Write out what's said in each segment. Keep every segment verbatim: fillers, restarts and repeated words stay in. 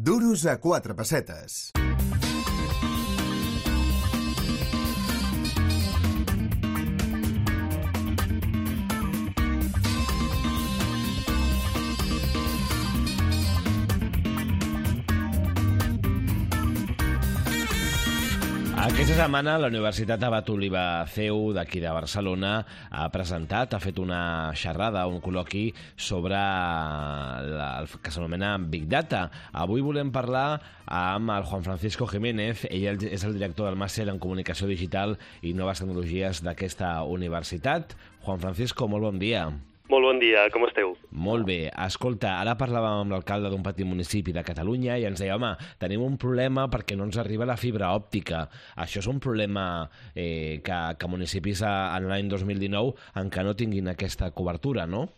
Duros a quatre pessetes. Aquesta setmana la Universitat Abat Oliba C E U d'aquí de Barcelona ha presentat, ha fet una xerrada, un col·loqui sobre la, el que s'anomena Big Data. Avui volem parlar amb el Juan Francisco Jiménez. Ell és el director del màster en Comunicació Digital i Noves Tecnologies d'aquesta universitat. Juan Francisco, molt bon dia. Molt bon dia, com esteu? Molt bé. Escolta, ara parlàvem amb l'alcalde d'un petit municipi de Catalunya i ens deia, home, tenim un problema perquè no ens arriba la fibra òptica. Això és un problema eh, que, que municipis en l'any dos mil dinou encara no tinguin aquesta cobertura, no?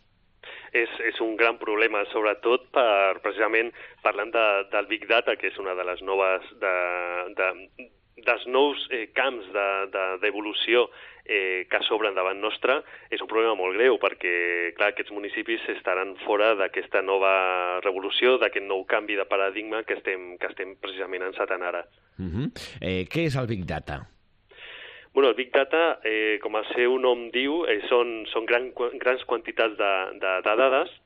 És, és un gran problema, sobretot per, precisament parlant de, del Big Data, que és una de les noves... De, de, dels nous eh, camps d'evolució de, de, eh, que s'obren davant nostre, és un problema molt greu perquè, clar, aquests municipis estaran fora d'aquesta nova revolució, d'aquest nou canvi de paradigma que estem, que estem precisament encetant ara. Uh-huh. eh, què és el Big Data? Bueno, el Big Data, eh, com el seu nom diu, eh, són, són gran, grans quantitats de, de, de dades.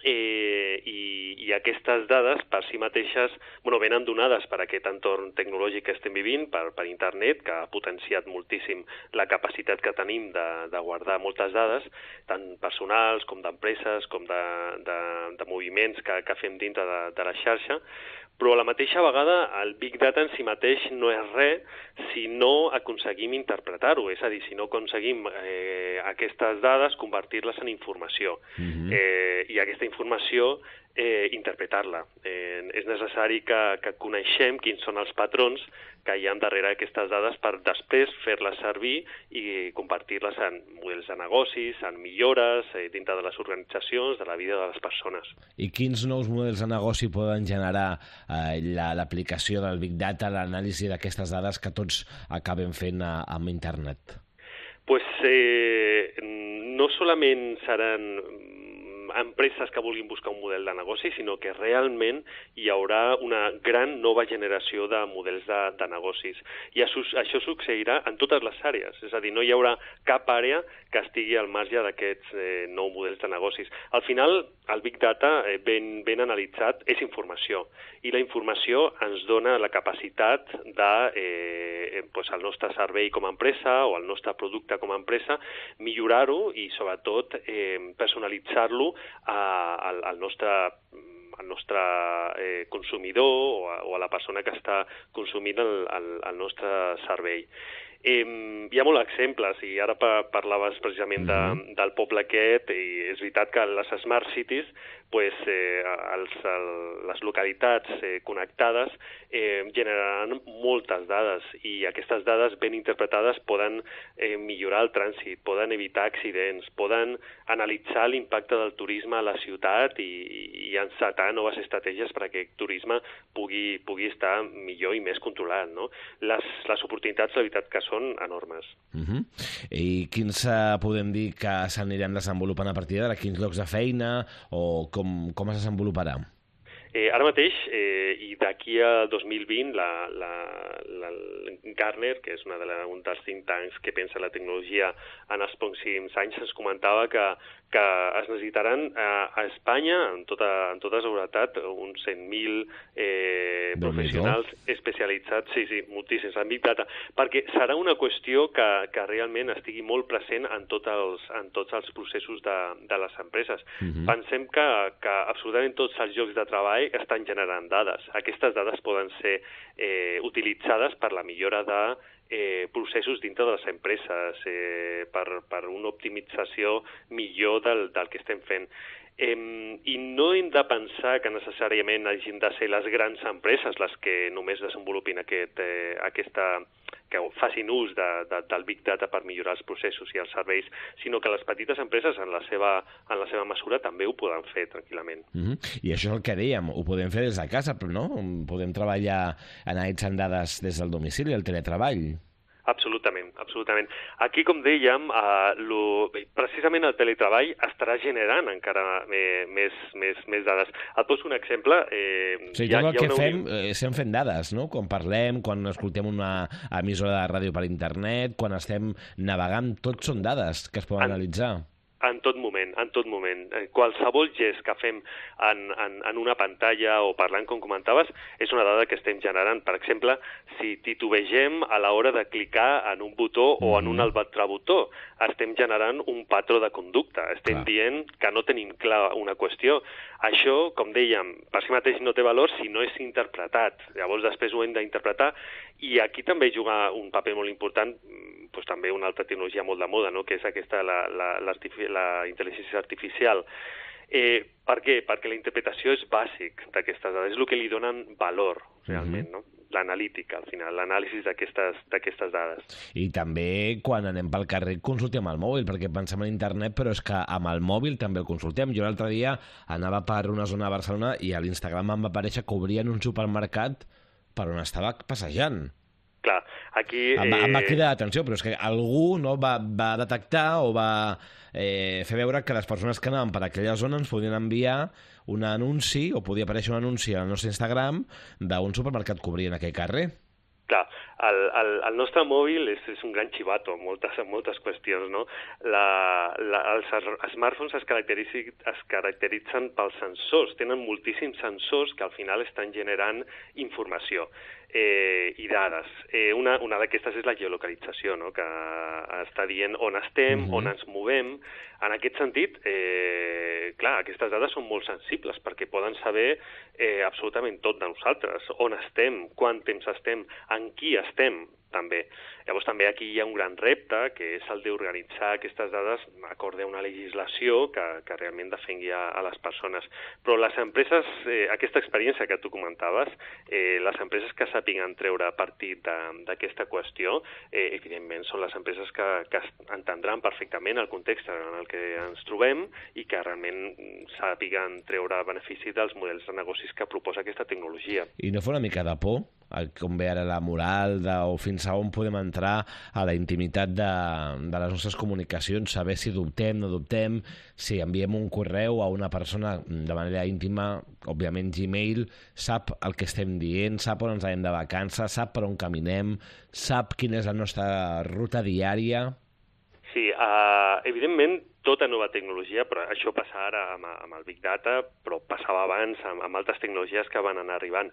Eh, i, i aquestes dades per si mateixes bueno, venen donades per aquest entorn tecnològic que estem vivint, per, per internet, que ha potenciat moltíssim la capacitat que tenim de, de guardar moltes dades, tant personals com d'empreses, com de, de, de moviments que, que fem dintre de, de la xarxa, però a la mateixa vegada el Big Data en si mateix no és res si no aconseguim interpretar-ho, és a dir, si no aconseguim eh, aquestes dades convertir-les en informació. Mm-hmm. eh, i aquesta informació eh, interpretar-la. Eh, és necessari que, que coneixem quins són els patrons que hi ha darrere aquestes dades per després fer-les servir i convertir-les en models de negocis, en millores eh, dintre de les organitzacions, de la vida de les persones. I quins nous models de negoci poden generar eh, l'aplicació del Big Data, l'anàlisi d'aquestes dades que tots acabem fent a, amb internet? Pues eh, no solament seran empreses que vulguin buscar un model de negoci, sinó que realment hi haurà una gran nova generació de models de, de negocis. I això, això succeirà en totes les àrees, és a dir, no hi haurà cap àrea que estigui al marge d'aquests eh, nous models de negocis. Al final, el Big Data, eh, ben, ben analitzat, és informació, i la informació ens dona la capacitat de, eh, pues, el nostre servei com a empresa o el nostre producte com a empresa, millorar-ho i, sobretot, eh, personalitzar-lo al, al nostre al nostre eh, consumidor o a, o a la persona que està consumint el, el, el nostre servei. Eh, hi ha molts exemples, i ara pa, parlaves precisament de, del poble aquest, i és veritat que les Smart Cities, pues, eh, els, el, les localitats eh, connectades eh, generaran moltes dades, i aquestes dades ben interpretades poden eh, millorar el trànsit, poden evitar accidents, poden analitzar l'impacte del turisme a la ciutat i, i encetar noves estratègies perquè el turisme pugui, pugui estar millor i més controlat, no? Les, les oportunitats, la veritat, que són enormes. Uh-huh. I quins uh, podem dir que s'aniran desenvolupant a partir d'ara? Quins llocs de feina o com, com es desenvoluparà? Eh, ara mateix, eh, i d'aquí a dos mil vint, la, la, la Gartner, que és una de la, un dels think tanks que pensa la tecnologia en els pròxims anys, ens comentava que, que es necessitaran a, a Espanya, en tota, en tota seguretat, uns cent mil eh, professionals especialitzats, sí, sí, moltíssims, en Big Data, perquè serà una qüestió que, que realment estigui molt present en, tot els, en tots els processos de, de les empreses. Uh-huh. Pensem que, que absolutament tots els llocs de treball estan generant dades. Aquestes dades poden ser eh, utilitzades per la millora de eh, processos dintre de les empreses, eh, per, per una optimització millor del, del que estem fent. Eh, I no hem de pensar que necessàriament hagin de ser les grans empreses les que només desenvolupin aquest, eh, aquesta que facin ús de, de, del Big Data per millorar els processos i els serveis, sinó que les petites empreses en la seva, en la seva mesura també ho poden fer tranquil·lament. Mm-hmm. I això és el que dèiem, ho podem fer des de casa, però no? Podem treballar analitzant dades des del domicili, el teletreball. Absolutament, absolutament. Aquí, com dèiem, eh, lo, precisament el teletreball estarà generant encara eh, més, més, més dades. Et poso un exemple. Eh, sí, tot el que fem, eh, estem fent dades, no? Quan parlem, quan escoltem una emissora de ràdio per internet, quan estem navegant, tot són dades que es poden en... analitzar. En tot moment, en tot moment. Qualsevol gest que fem en, en, en una pantalla o parlant, com comentaves, és una dada que estem generant. Per exemple, si titubegem a l'hora de clicar en un botó mm-hmm. o en un altre botó, estem generant un patró de conducta. Estem Clar. dient que no tenim clar una qüestió. Això, com dèiem, per si mateix no té valor si no és interpretat. Llavors, després ho hem d'interpretar. I aquí també juga un paper molt important, doncs també una altra tecnologia molt de moda, no? Que és aquesta, la, la, la intel·ligència artificial. Eh, per què? Perquè la interpretació és bàsic d'aquestes dades, és el que li donen valor, realment, mm-hmm. no? L'analítica, al final, l'anàlisi d'aquestes dades. I també, quan anem pel carrer, consultem el mòbil, perquè pensem en internet, però és que amb el mòbil també el consultem. Jo l'altre dia anava per una zona de Barcelona i a l'Instagram em va aparèixer que obrien un supermercat per on estava passejant. Clar, aquí... Em va, em va cridar l'atenció, però és que algú no va, va detectar o va eh, fer veure que les persones que anaven per aquella zona ens podien enviar un anunci, o podia aparèixer un anunci al nostre Instagram d'un supermercat que obria en aquell carrer. Clar, el, el, el nostre mòbil és, és un gran xivato en moltes, en moltes qüestions, no? La, la, els smartphones es caracteritzen, es caracteritzen pels sensors, tenen moltíssims sensors que al final estan generant informació eh, i dades. Eh, una una d'aquestes és la geolocalització, no? Que està dient on estem, mm-hmm. on ens movem. En aquest sentit, eh, clar, aquestes dades són molt sensibles perquè poden saber eh, absolutament tot de nosaltres, on estem, quant temps estem, en qui estem, també. Llavors també aquí hi ha un gran repte, que és el d'organitzar aquestes dades d'acord a una legislació que, que realment defengui a, a les persones. Però les empreses, eh, aquesta experiència que tu comentaves, eh, les empreses que sàpiguen treure partit d'aquesta qüestió, eh, evidentment són les empreses que, que entendran perfectament el context en el que ens trobem i que realment sàpiguen treure benefici dels models de negocis que proposa aquesta tecnologia. I no fa una mica de por, com ve ara la moral, de, o fins a on podem entrar a la intimitat de, de les nostres comunicacions, saber si dubtem, no dubtem, si enviem un correu a una persona de manera íntima, òbviament Gmail, sap el que estem dient, sap on ens anem de vacances, sap per on caminem, sap quina és la nostra ruta diària. Sí, uh, evidentment, tota nova tecnologia, però això passa ara amb, amb el Big Data, però passava abans amb, amb altres tecnologies que van anar arribant.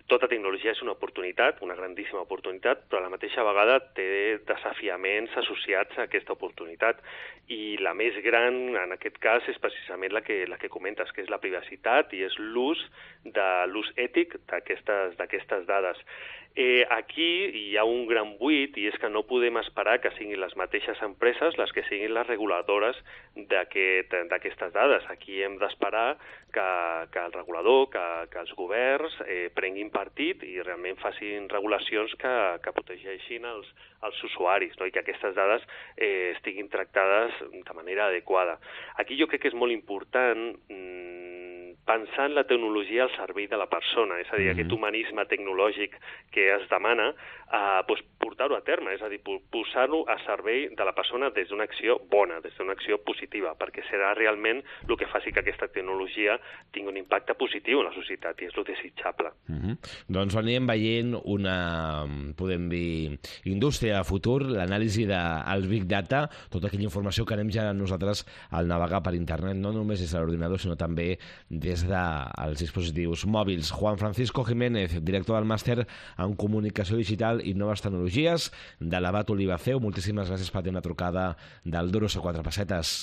Tota tecnologia és una oportunitat, una grandíssima oportunitat, però a la mateixa vegada té desafiaments associats a aquesta oportunitat. I la més gran, en aquest cas, és precisament la que, la que comentes, que és la privacitat i és l'ús de l'ús ètic d'aquestes dades. Eh, aquí hi ha un gran buit i és que no podem esperar que siguin les mateixes empreses les que siguin les reguladores d'aquestes aquest, dades. Aquí hem d'esperar que, que el regulador, que, que els governs eh, prenguin partit i realment facin regulacions que, que protegeixin els, els usuaris, no? I que aquestes dades eh, estiguin tractades de manera adequada. Aquí jo crec que és molt important mmm, pensar en la tecnologia al servei de la persona, és a dir, mm-hmm. aquest humanisme tecnològic que es demana, eh, doncs portar-ho a terme, és a dir, posar-ho a servei de la persona des d'una acció bona, des d'una acció positiva, perquè serà realment el que faci que aquesta tecnologia tingui un impacte positiu en la societat, i és el desitjable. Mm-hmm. Doncs anirem veient una, podem dir, indústria de futur, l'anàlisi dels Big Data, tota aquella informació que anem ja nosaltres al navegar per internet, no només des de l'ordinador, sinó també des dels dispositius mòbils. Juan Francisco Jiménez, director del màster en Comunicació Digital i Noves Tecnologies de l'Abat Oliva C E U. Moltíssimes gràcies per tenir la trucada del Duros a quatre pessetes.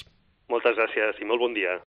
Moltes gràcies i molt bon dia.